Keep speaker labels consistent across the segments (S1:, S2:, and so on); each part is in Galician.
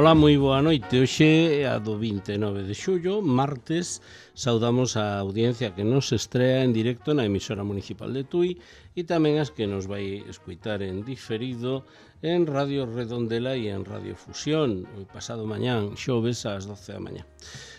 S1: Ola, moi boa noite. Hoxe é a do 29 de xullo, martes. Saudamos a audiencia que nos estrea en directo na emisora municipal de Tui e tamén as que nos vai escuitar en diferido en Radio Redondela e en Radio Fusión o pasado mañán, xoves ás 12 da mañá.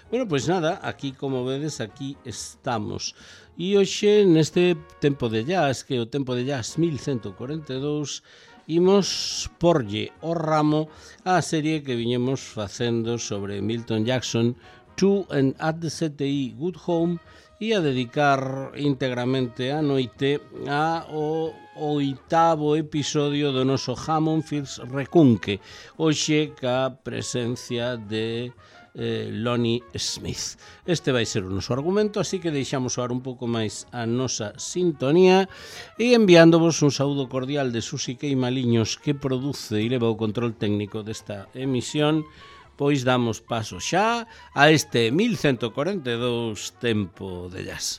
S1: Bueno, pois nada, aquí como vedes, aquí estamos. E hoxe neste tempo de jazz, que é o tempo de jazz 1142, imos porlle o ramo á serie que viñemos facendo sobre Milton Jackson, To and at the CTI Good Home, e a dedicar íntegramente a noite ao oitavo episodio do noso Hammond Fields Recunque, hoxe ca presencia de Lonnie Smith. Este vai ser o noso argumento, así que deixamos soar un pouco máis a nosa sintonía e enviándovos un saúdo cordial de Susi Queimaliños, que produce e leva o control técnico desta emisión. Pois damos paso xa a este 1142 tempo de jazz.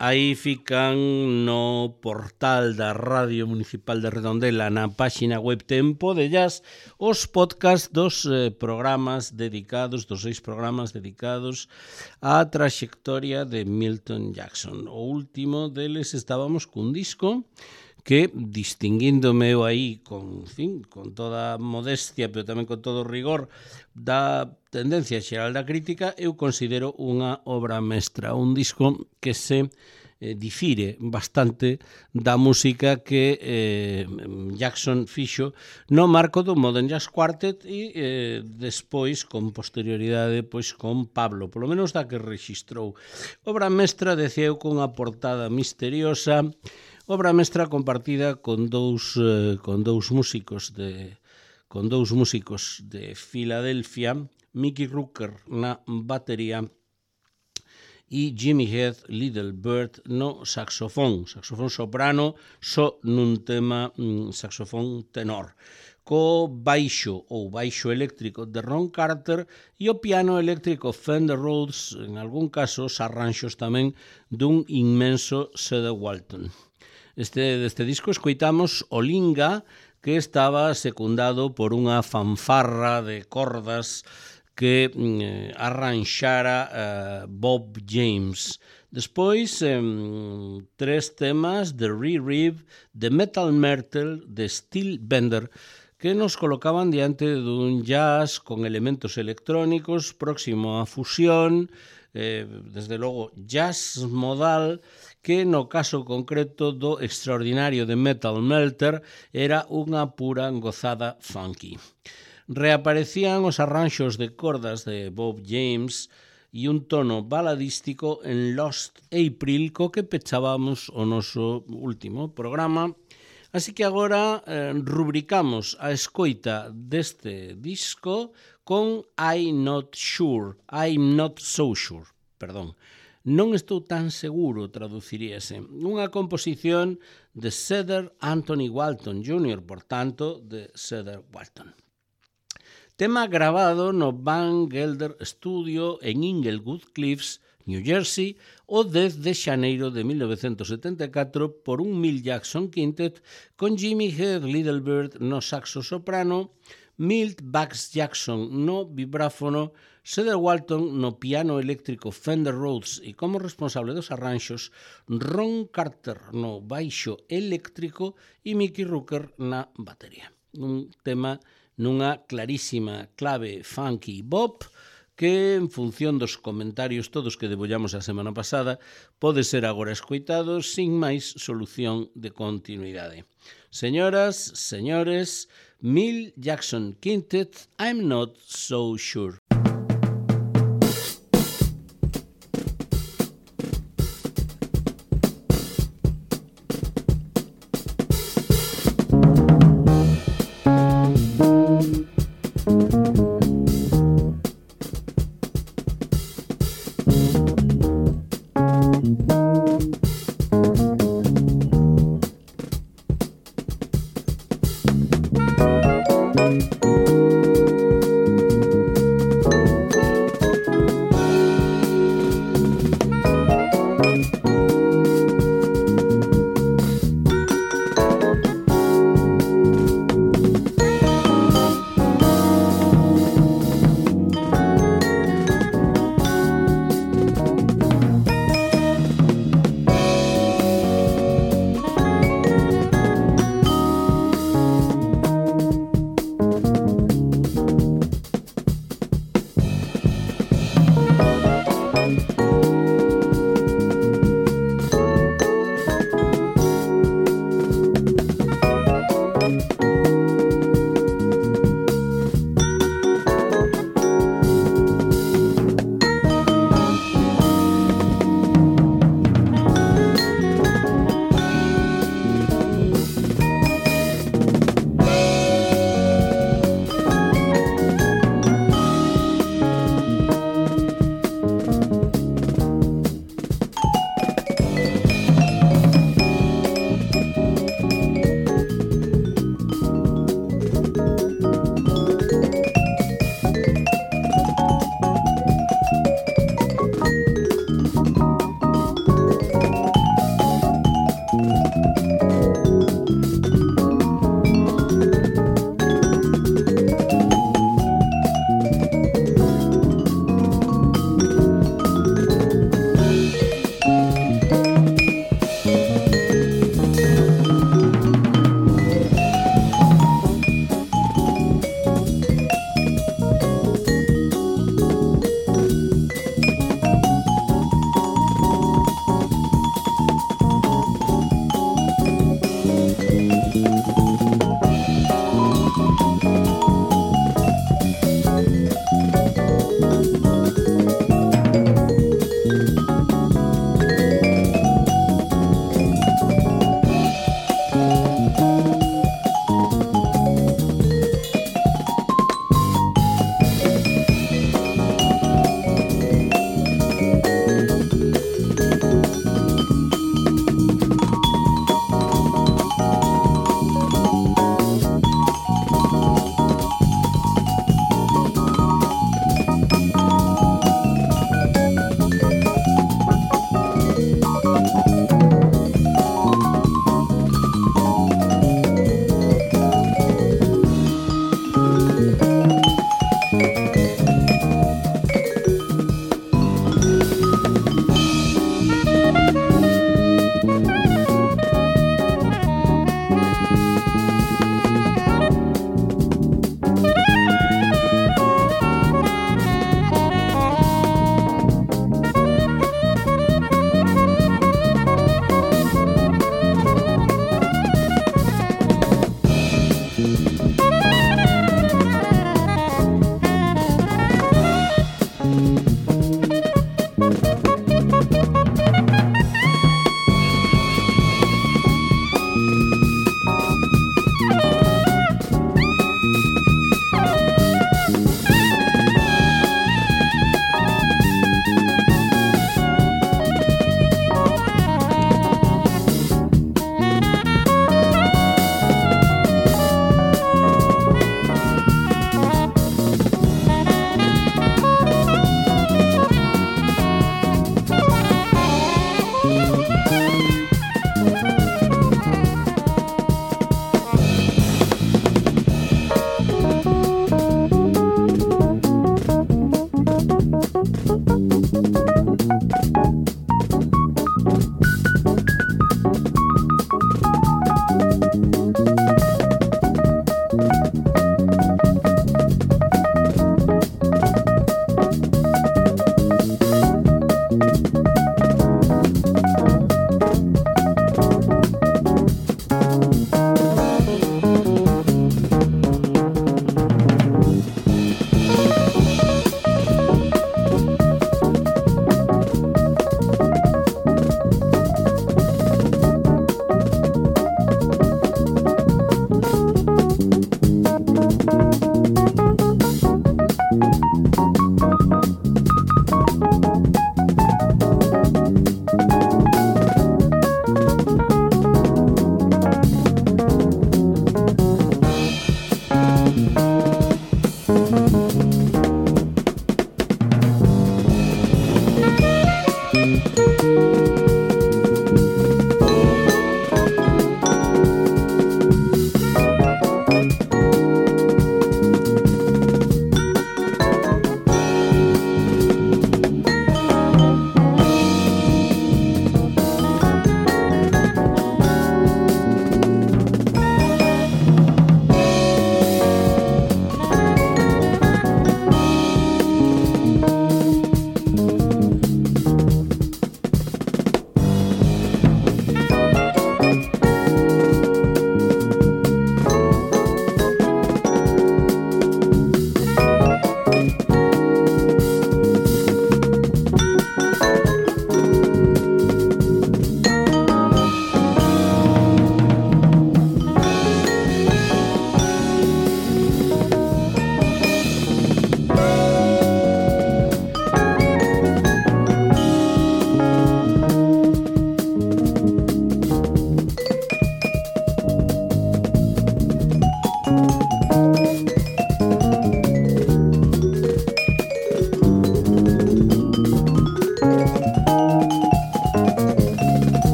S1: Aí fican no portal da Radio Municipal de Redondela, na páxina web Tempo de Jazz, os podcast dos programas dedicados, dos 6 programas dedicados á traxectoria de Milton Jackson. O último deles estábamos cun disco que, distinguíndome eu aí con toda modestia, pero tamén con todo rigor da tendencia xeral da crítica, eu considero unha obra mestra, un disco que se difire bastante da música que Jackson fixo no marco do Modern Jazz Quartet e despois, con posterioridade, pois con Pablo, polo menos da que rexistrou. Obra mestra, decía eu, con unha portada misteriosa, obra mestra compartida con dous músicos de Filadelfia, Mickey Rooker na batería e Jimmy Heath Littlebird no saxofón soprano, só nun tema saxofón tenor, co baixo ou baixo eléctrico de Ron Carter e o piano eléctrico Fender Rhodes, en algún caso os arranxos tamén dun inmenso Cedar Walton. Deste disco escoitamos o Linga, que estaba secundado por unha fanfarra de cordas que arranxara Bob James. Despois, 3 temas de Re-Rev, de Metal Myrtle, de Steel Bender, que nos colocaban diante dun jazz con elementos electrónicos próximo á fusión, desde logo jazz modal, que no caso concreto do extraordinario de Metal Melter era unha pura gozada funky. Reaparecían os arranxos de cordas de Bob James e un tono baladístico en Lost April, co que pechábamos o noso último programa. Así que agora rubricamos a escoita deste disco con I'm Not So Sure, perdón. Non estou tan seguro, traduciríase. Unha composición de Cedar Anthony Walton Jr., por tanto, de Cedar Walton. Tema grabado no Van Gelder Studio en Inglewood Cliffs, New Jersey, o 10 de xaneiro de 1974 por un Milt Jackson Quintet con Jimmy Heath Littlebird no saxo soprano, Milt Bugs Jackson no vibráfono, Cedar Walton no piano eléctrico Fender Rhodes e como responsable dos arranxos Ron Carter no baixo eléctrico e Mickey Rooker na batería. Un tema nunha clarísima clave funky bop que, en función dos comentarios todos que debollamos a semana pasada, pode ser agora escoitado sin máis solución de continuidade. Señoras, señores, Milt Jackson Quintet, I'm Not So Sure.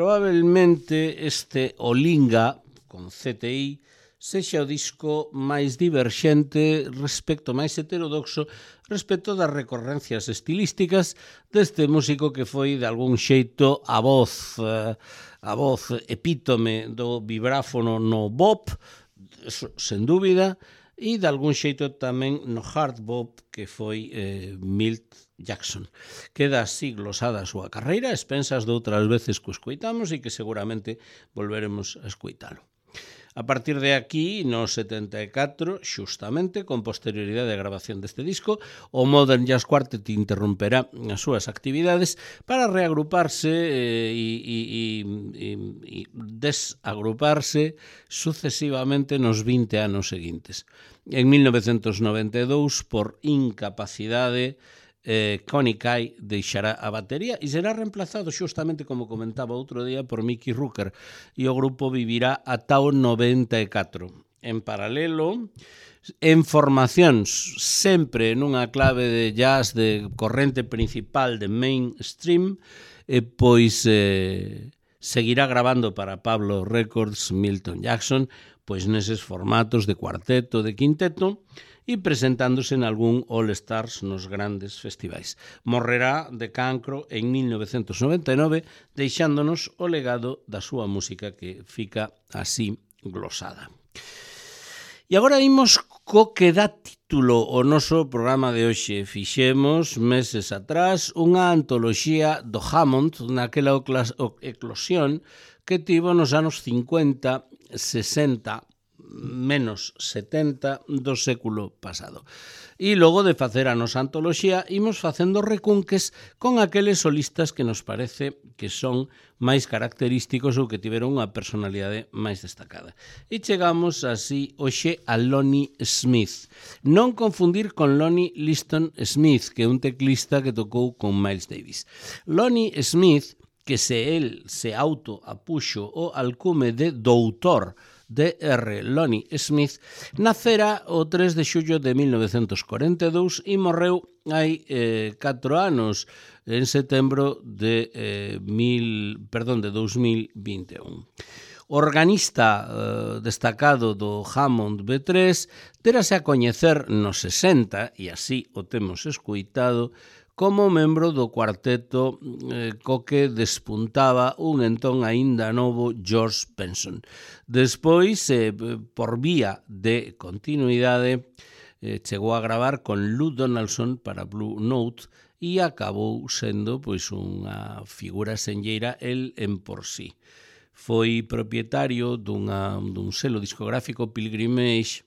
S1: Probablemente este Olinga, con CTI, sexa o disco máis diverxente respecto, máis heterodoxo respecto das recorrencias estilísticas deste músico que foi de algún xeito a voz epítome do vibráfono no bop, sen dúbida, e de algún xeito tamén no hard bop que foi Milt Jackson. Queda así glosada a súa carreira, expensas de outras veces que o escoitamos e que seguramente volveremos a escoitalo. A partir de aquí, no 74, xustamente, con posterioridade a grabación deste disco, o Modern Jazz Quartet interromperá as súas actividades para reagruparse e desagruparse sucesivamente nos 20 anos seguintes. En 1992, por incapacidade, Connie Kay deixará a batería e será reemplazado xustamente, como comentaba outro día, por Mickey Rooker, e o grupo vivirá ata o 94. En paralelo, en formacións sempre nunha clave de jazz de corrente principal de mainstream, pois seguirá gravando para Pablo Records Milton Jackson, pois neses formatos de cuarteto, de quinteto, e presentándose en algún All-Stars nos grandes festivais. Morrerá de cancro en 1999, deixándonos o legado da súa música que fica así glosada. E agora imos co que dá título o noso programa de hoxe. Fixemos meses atrás unha antoloxía do Hammond, naquela eclosión que tivo nos anos 50, 60, menos 70 do século pasado. E logo de facer a nosa antoloxía, imos facendo recunques con aqueles solistas que nos parece que son máis característicos ou que tiveron unha personalidade máis destacada. E chegamos así hoxe a Lonnie Smith. Non confundir con Lonnie Liston Smith, que é un teclista que tocou con Miles Davis. Lonnie Smith, que el se autoapuxo o alcume de doutor Dr. Lonnie Smith, nacera o 3 de xullo de 1942 e morreu hai 4 anos, en setembro de 2021. Organista destacado do Hammond B3, terase a coñecer nos 60, e así o temos escuitado, como membro do cuarteto co que despuntaba un entón aínda novo George Benson. Despois, por vía de continuidade, chegou a gravar con Lou Donaldson para Blue Note e acabou sendo pois unha figura senlleira el en por sí. Foi propietario dun selo discográfico Pilgrimage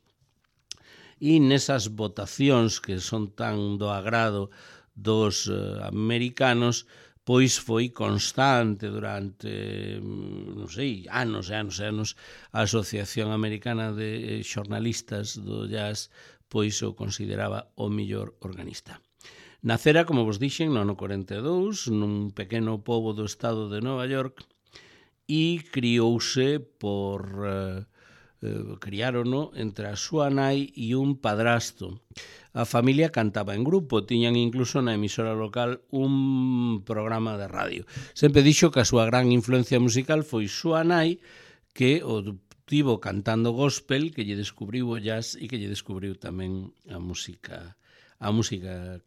S1: e nesas votacións que son tan do agrado dos americanos, pois foi constante durante, non sei, anos e anos e anos, a Asociación Americana de Xornalistas do Jazz pois o consideraba o mellor organista. Nacera, como vos dixen, no ano 42, nun pequeno pobo do estado de Nova York, e criouse criárono entre a súa nai e un padrasto. A familia cantaba en grupo, tiñan incluso na emisora local un programa de radio. Sempre dixo que a súa gran influencia musical foi súa nai, que o tivo cantando gospel, que lle descubriu o jazz e que lle descubriu tamén a música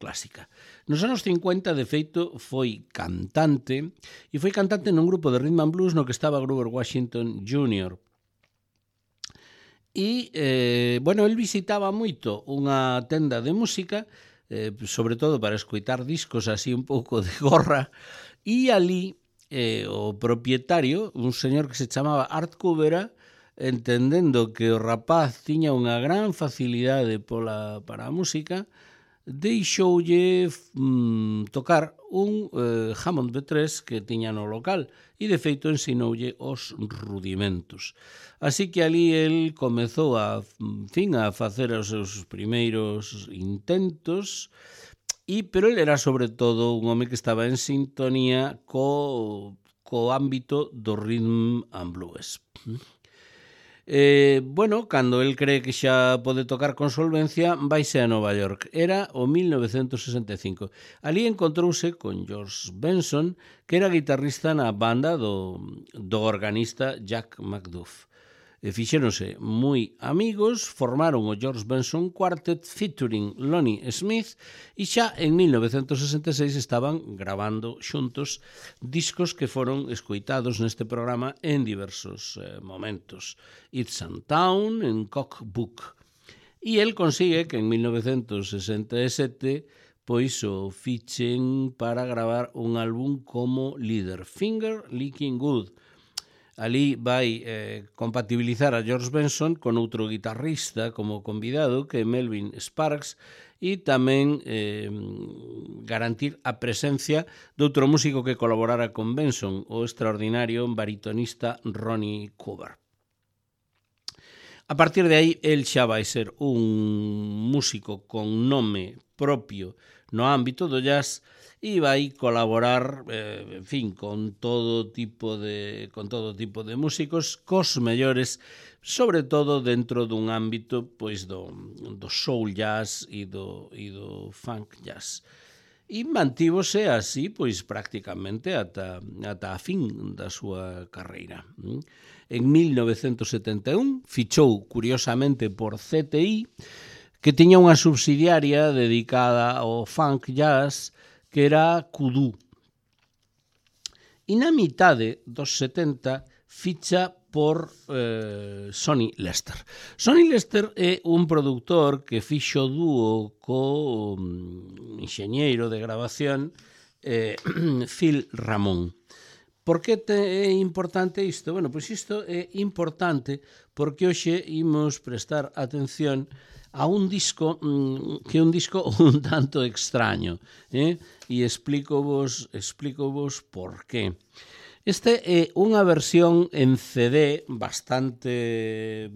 S1: clásica. Nos anos 50, de feito, foi cantante, e foi cantante nun grupo de rhythm and blues no que estaba Grover Washington Jr., e, el visitaba moito unha tenda de música, sobre todo para escoitar discos así un pouco de gorra, e ali o propietario, un señor que se chamaba Art Cubera, entendendo que o rapaz tiña unha gran facilidade para a música, deixoulle tocar un Hammond B3 que tiña no local e, de feito, ensinoulle os rudimentos. Así que ali el comezou a facer os seus primeiros intentos, pero el era, sobre todo, un home que estaba en sintonía co ámbito do rhythm and blues. Cando el cree que xa pode tocar con solvencia, vaise a Nova York. Era o 1965. Ali encontrouse con George Benson, que era guitarrista na banda do organista Jack McDuff. Fixéronse moi amigos, formaron o George Benson Quartet featuring Lonnie Smith e xa en 1966 estaban gravando xuntos discos que foron escoitados neste programa en diversos momentos. It's a Town, en Cockbook. E el consigue que en 1967 pois o fichen para gravar un álbum como líder, Finger Licking Good. Ali vai compatibilizar a George Benson con outro guitarrista como convidado, que é Melvin Sparks, e tamén garantir a presencia de outro músico que colaborara con Benson, o extraordinario baritonista Ronnie Cooper. A partir de aí, el xa vai ser un músico con nome propio no ámbito do jazz e vai colaborar, con todo tipo de músicos, cos mellores, sobre todo dentro dun ámbito pois do soul jazz e do funk jazz. E mantívose así pois prácticamente ata a fin da súa carreira. en 1971, fichou curiosamente por CTI, que tiña unha subsidiaria dedicada ao funk jazz que era Kudu. E na mitade dos 70 ficha por Sonny Lester. Sonny Lester é un produtor que fixo dúo co enxeñeiro de grabación Phil Ramone. Por que é importante isto? Bueno, pois isto é importante porque hoxe imos prestar atención a un disco que é un disco un tanto extraño, e explícovos por qué. Este é unha versión en CD bastante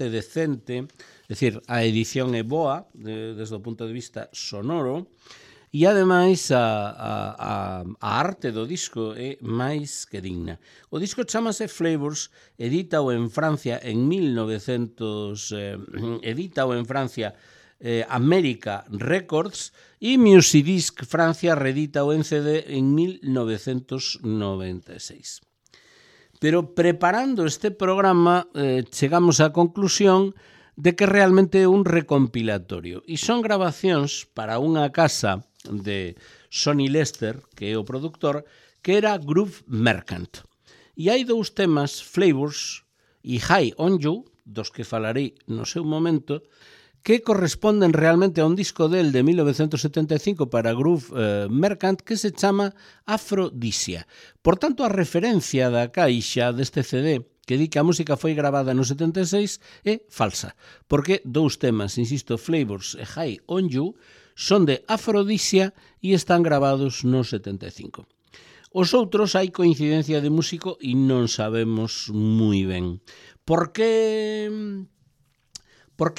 S1: decente, é dicir, a edición é boa desde o punto de vista sonoro, e ademais a arte do disco é máis que digna. O disco chamase Flavors, edítao en Francia America Records, e Musidisc Francia reedítao en CD en 1996. Pero preparando este programa chegamos á conclusión de que realmente é un recompilatorio e son grabacións para unha casa de Sonny Lester, que é o produtor, que era Groove Merchant. E hai dous temas, Flavors e High on You, dos que falarei no seu momento, que corresponden realmente a un disco del de 1975 para Groove Merchant que se chama Aphrodisia. Por tanto, a referencia da caixa deste CD que di que a música foi gravada no 76 é falsa, porque dous temas, insisto, Flavors e High on You, son de Aphrodisia e están gravados no 75. Os outros hai coincidencia de músico e non sabemos moi ben. Por que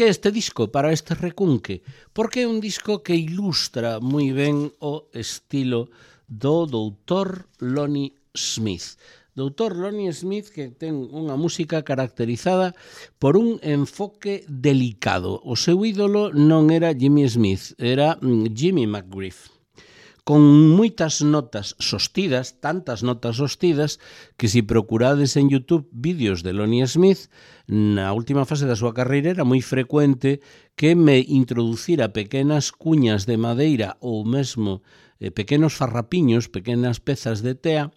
S1: este disco para este recunque? Porque é un disco que ilustra moi ben o estilo do doutor Lonnie Smith. Doutor Lonnie Smith, que ten unha música caracterizada por un enfoque delicado. O seu ídolo non era Jimmy Smith, era Jimmy McGriff, con moitas notas sostidas, tantas notas sostidas, que se procurades en YouTube vídeos de Lonnie Smith, na última fase da súa carreira era moi frecuente que me introducira pequenas cuñas de madeira ou mesmo pequenos farrapiños, pequenas pezas de tea,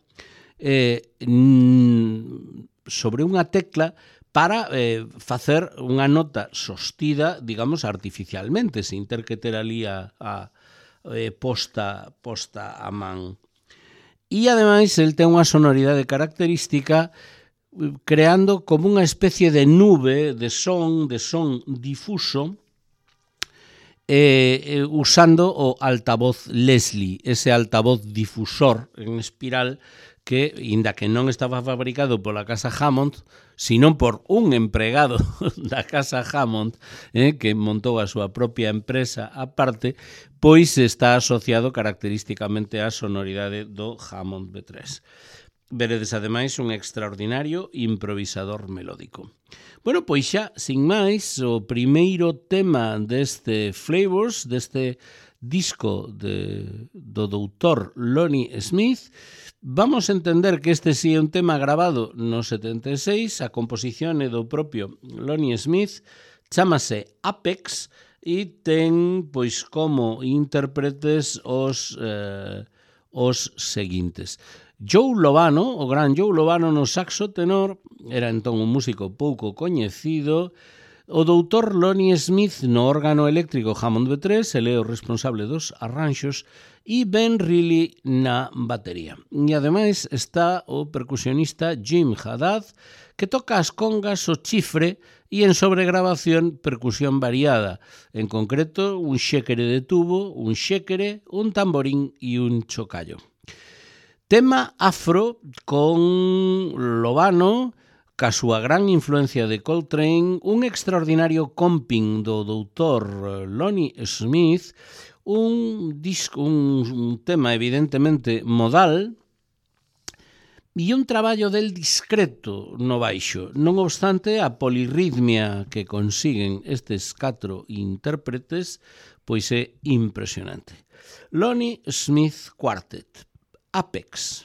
S1: sobre unha tecla para facer unha nota sostida, digamos, artificialmente, sin ter que ter ali posta a man. E, ademais, el ten unha sonoridade característica creando como unha especie de nube de son difuso, usando o altavoz Leslie, ese altavoz difusor en espiral que, inda que non estaba fabricado pola casa Hammond, sino por un empregado da casa Hammond, que montou a súa propia empresa aparte, pois está asociado característicamente á sonoridade do Hammond B3. Veredes, ademais, un extraordinario improvisador melódico. Bueno, pois xa, sin máis, o primeiro tema deste Flavors, deste disco do doutor Lonnie Smith, vamos a entender que este sí é un tema grabado no 76, a composición é do propio Lonnie Smith, chámase Apex e ten, pois, como intérpretes os seguintes. Joe Lovano, o gran Joe Lovano no saxo tenor, era entón un músico pouco coñecido. O doutor Lonnie Smith no órgano eléctrico Hammond B3, ele é o responsable dos arranxos, e Ben Reilly na batería. E ademais está o percusionista Jim Haddad, que toca as congas, o chifre e en sobregrabación percusión variada, en concreto un xéquere de tubo, un xéquere, un tamborín e un chocallo. Tema afro con Lovano, ca súa gran influencia de Coltrane, un extraordinario comping do doutor Lonnie Smith, un tema evidentemente modal e un traballo del discreto no baixo. Non obstante, a polirritmia que consiguen estes 4 intérpretes pois é impresionante. Lonnie Smith Quartet, Apex.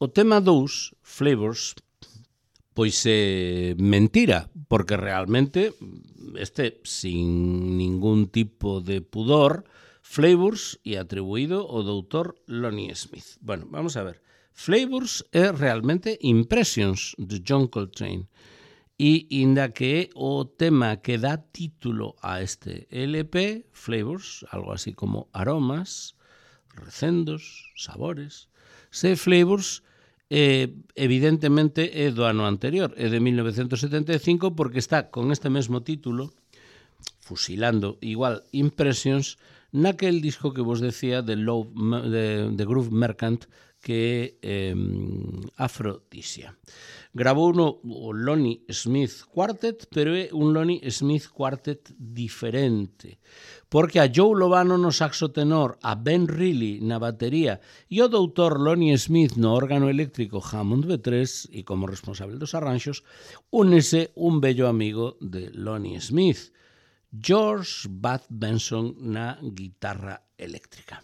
S1: O tema 2, Flavors, pois é mentira, porque realmente sin ningún tipo de pudor, Flavors e atribuído ao doutor Lonnie Smith. Bueno, vamos a ver. Flavors é realmente Impressions de John Coltrane. E inda que é o tema que dá título a este LP, Flavors, algo así como aromas, recendos, sabores. Flavors, evidentemente, é do ano anterior, é de 1975, porque está con este mesmo título, fusilando igual Impressions, naquel disco que vos decía de Groove Merchant, que é Aphrodisia. Gravou o Lonnie Smith Quartet, pero é un Lonnie Smith Quartet diferente, porque a Joe Lovano no saxo tenor, a Ben Reilly na batería e o doutor Lonnie Smith no órgano eléctrico Hammond B3 e como responsable dos arranxos, únese un bello amigo de Lonnie Smith, George Bud Benson na guitarra eléctrica.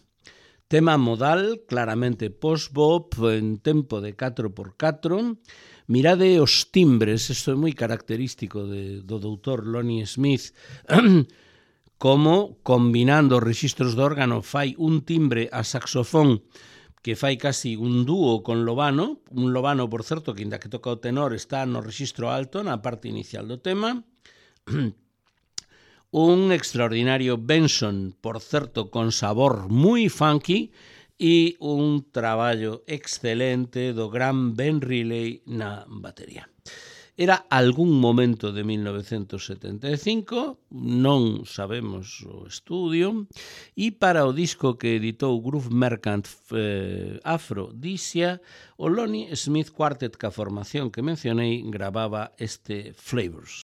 S1: Tema modal, claramente post-bop, en tempo de 4x4. Mirade os timbres, isto é moi característico do doutor Lonnie Smith, como combinando os rexistros do órgano fai un timbre a saxofón que fai casi un dúo con Lovano, un Lovano, por certo, que inda que toca o tenor está no rexistro alto, na parte inicial do tema, un extraordinario Benson, por certo, con sabor moi funky, e un traballo excelente do gran Ben Reilly na batería. Era algún momento de 1975, non sabemos o estudio, e para o disco que editou Groove Merchant Aphrodisia, o Lonnie Smith Quartet, ca formación que mencionei, gravaba este Flavors.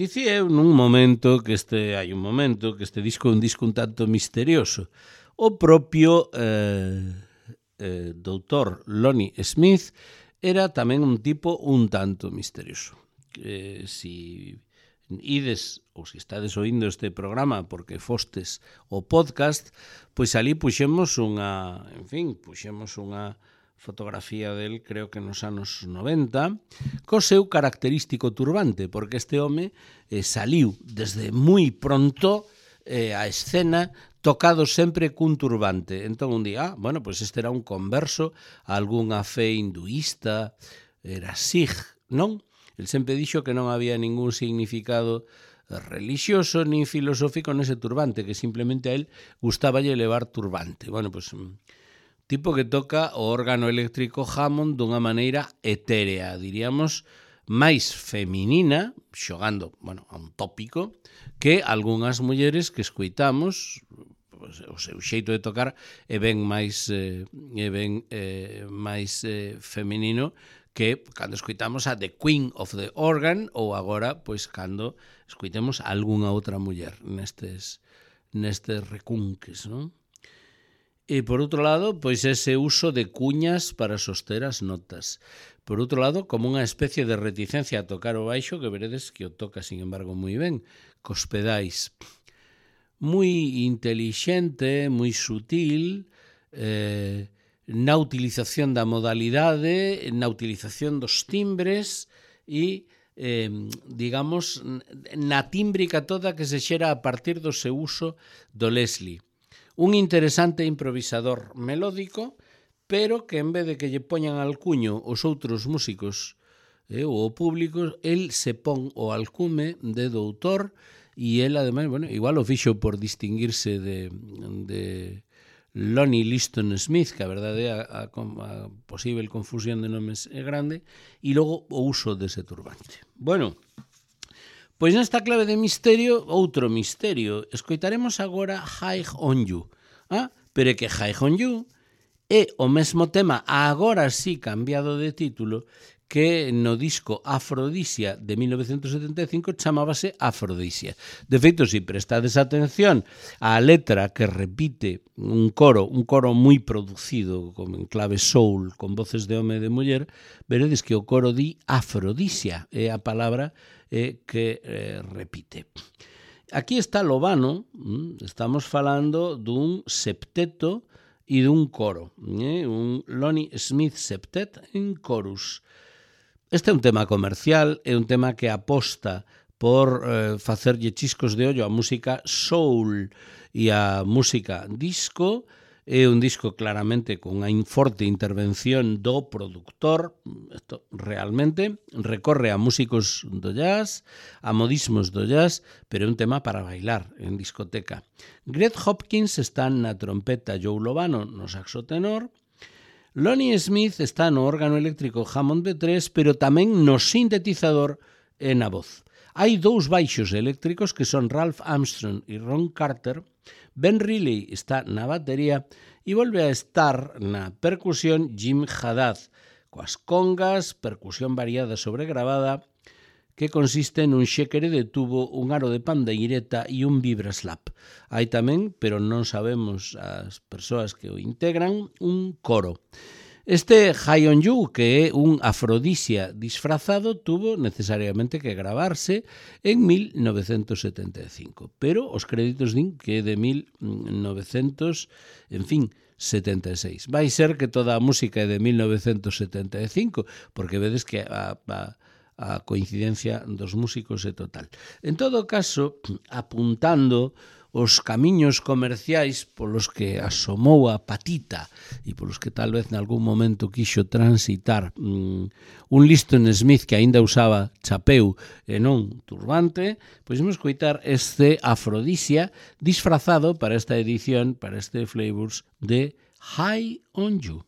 S1: Dicía eu hai un momento que este disco é un disco un tanto misterioso. O propio doutor Lonnie Smith era tamén un tipo un tanto misterioso. Si ides ou se estades oindo este programa porque fostes o podcast, pois ali puxemos unha fotografía del, creo que nos anos 90, co seu característico turbante, porque este home saliu desde moi pronto a escena tocado sempre cun turbante. Entón un día, pois este era un converso a algunha fe hinduista, era Sikh, non? El sempre dixo que non había ningún significado religioso nin filosófico nese turbante, que simplemente a él gustaballe levar turbante. Pois tipo que toca o órgano eléctrico Hammond dunha maneira etérea, diríamos, máis feminina, xogando, a un tópico, que algunhas mulleres que escoitamos, o seu xeito de tocar é ben máis feminino que cando escoitamos a The Queen of the Organ ou agora, pois, cando escoitemos a algunha outra muller nestes recunques, non? E, por outro lado, pois ese uso de cuñas para soster as notas. Por outro lado, como unha especie de reticencia a tocar o baixo, que veredes que o toca, sin embargo, moi ben, cos pedais. Moi intelixente, moi sutil, na utilización da modalidade, na utilización dos timbres e, digamos, na tímbrica toda que se xera a partir do seu uso do Leslie. Un interesante improvisador melódico, pero que en vez de que lle poñan alcuño os outros músicos ou o público, el se pon o alcume de doutor e el, ademais, igual o fixo por distinguirse de Lonnie Liston Smith, que a verdade a posible confusión de nomes é grande, e logo o uso dese turbante. Pois nesta clave de misterio, outro misterio. Escoitaremos agora High on You. Pero é que High on You é o mesmo tema, agora sí cambiado de título, que no disco Afrodisia de 1975 chamábase Afrodisia. De feito, se prestades atención á letra que repite un coro moi producido como en clave soul, con voces de home e de muller, veredes que o coro di Afrodisia, é a palabra que repite. Aquí está Lovano, estamos falando dun septeto e dun coro, un Lonnie Smith septet en chorus. Este é un tema comercial, é un tema que aposta por facerlle chiscos de ollo a música soul e a música disco. É un disco claramente con unha forte intervención do produtor. Isto realmente recorre a músicos do jazz, a modismos do jazz, pero é un tema para bailar en discoteca. Greg Hopkins está na trompeta, Joe Lovano no saxo tenor, Lonnie Smith está no órgano eléctrico Hammond B3, pero tamén no sintetizador e na voz. Hai dous baixos eléctricos que son Ralph Armstrong e Ron Carter. Ben Riley está na batería e volve a estar na percusión Jim Haddad, coas congas, percusión variada sobregravada, que consiste nun xéquere de tubo, un aro de pandeireta e un vibraslap. Hai tamén, pero non sabemos as persoas que o integran, un coro. Este High on You, que é un Afrodisia disfrazado, tuvo necesariamente que gravarse en 1975, pero os créditos din que é de 1976. Vai ser que toda a música é de 1975, porque vedes que a coincidencia dos músicos é total. En todo caso, apuntando os camiños comerciais polos que asomou a patita e polos que tal vez nalgún momento quixo transitar un Liston Smith que aínda usaba chapeu e non turbante, pois vamos coitar este Afrodisia disfrazado para esta edición, para este Flavors de High on You.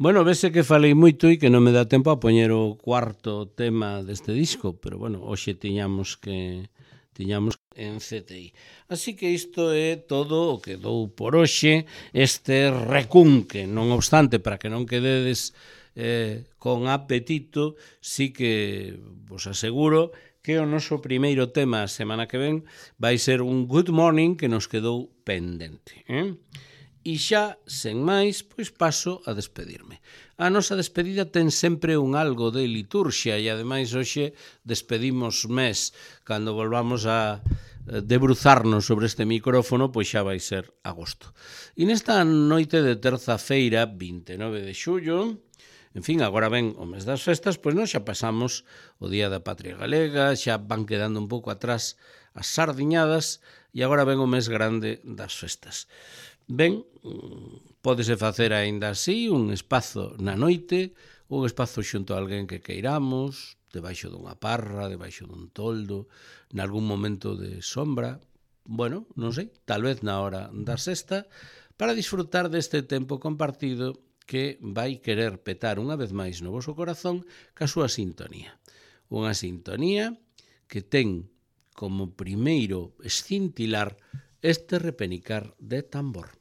S1: Bueno, vese que falei moito e que non me dá tempo a poñer o cuarto tema deste disco, pero bueno, hoxe tiñamos en CTI. Así que isto é todo o que dou por hoxe, este recunque. Non obstante, para que non quededes con apetito, sí que vos aseguro que o noso primeiro tema a semana que ven vai ser un Good Morning que nos quedou pendente. E xa, sen máis, pois paso a despedirme. A nosa despedida ten sempre un algo de liturxia e, ademais, hoxe despedimos mes. Cando volvamos a debruzarnos sobre este micrófono, pois xa vai ser agosto. E nesta noite de terza-feira, 29 de xullo, en fin, agora ven o mes das festas, pois nós xa pasamos o Día da Patria Galega, xa van quedando un pouco atrás as sardiñadas e agora ven o mes grande das festas. Ben, pódese facer aínda así un espazo na noite, un espazo xunto a alguén que queiramos, debaixo dunha parra, debaixo dun toldo, nalgún momento de sombra, bueno, non sei, tal vez na hora da sexta, para disfrutar deste tempo compartido que vai querer petar unha vez máis no voso corazón ca súa sintonía. Unha sintonía que ten como primeiro escintilar este repenicar de tambor.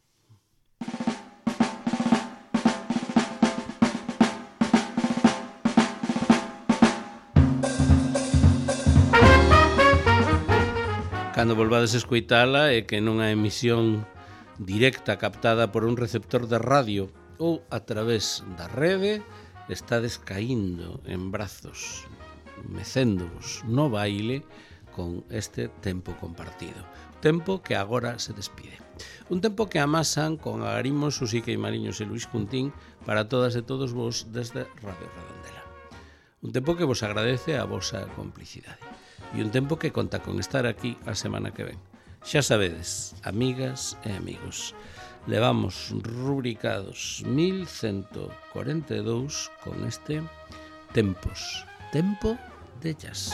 S1: Cando volvades a escoitala é que nunha emisión directa captada por un receptor de radio ou a través da rede estades caíndo en brazos, mecéndovos no baile con este tempo compartido. Tempo que agora se despide. Un tempo que amasan con Agarimos, Susica e Mariños e Luis Cuntín para todas e todos vos desde Radio Redondela. Un tempo que vos agradece a vosa complicidade. E un tempo que conta con estar aquí a semana que ven. Xa sabedes, amigas e amigos, levamos rubricados 1142 con este Tempos, tempo de jazz.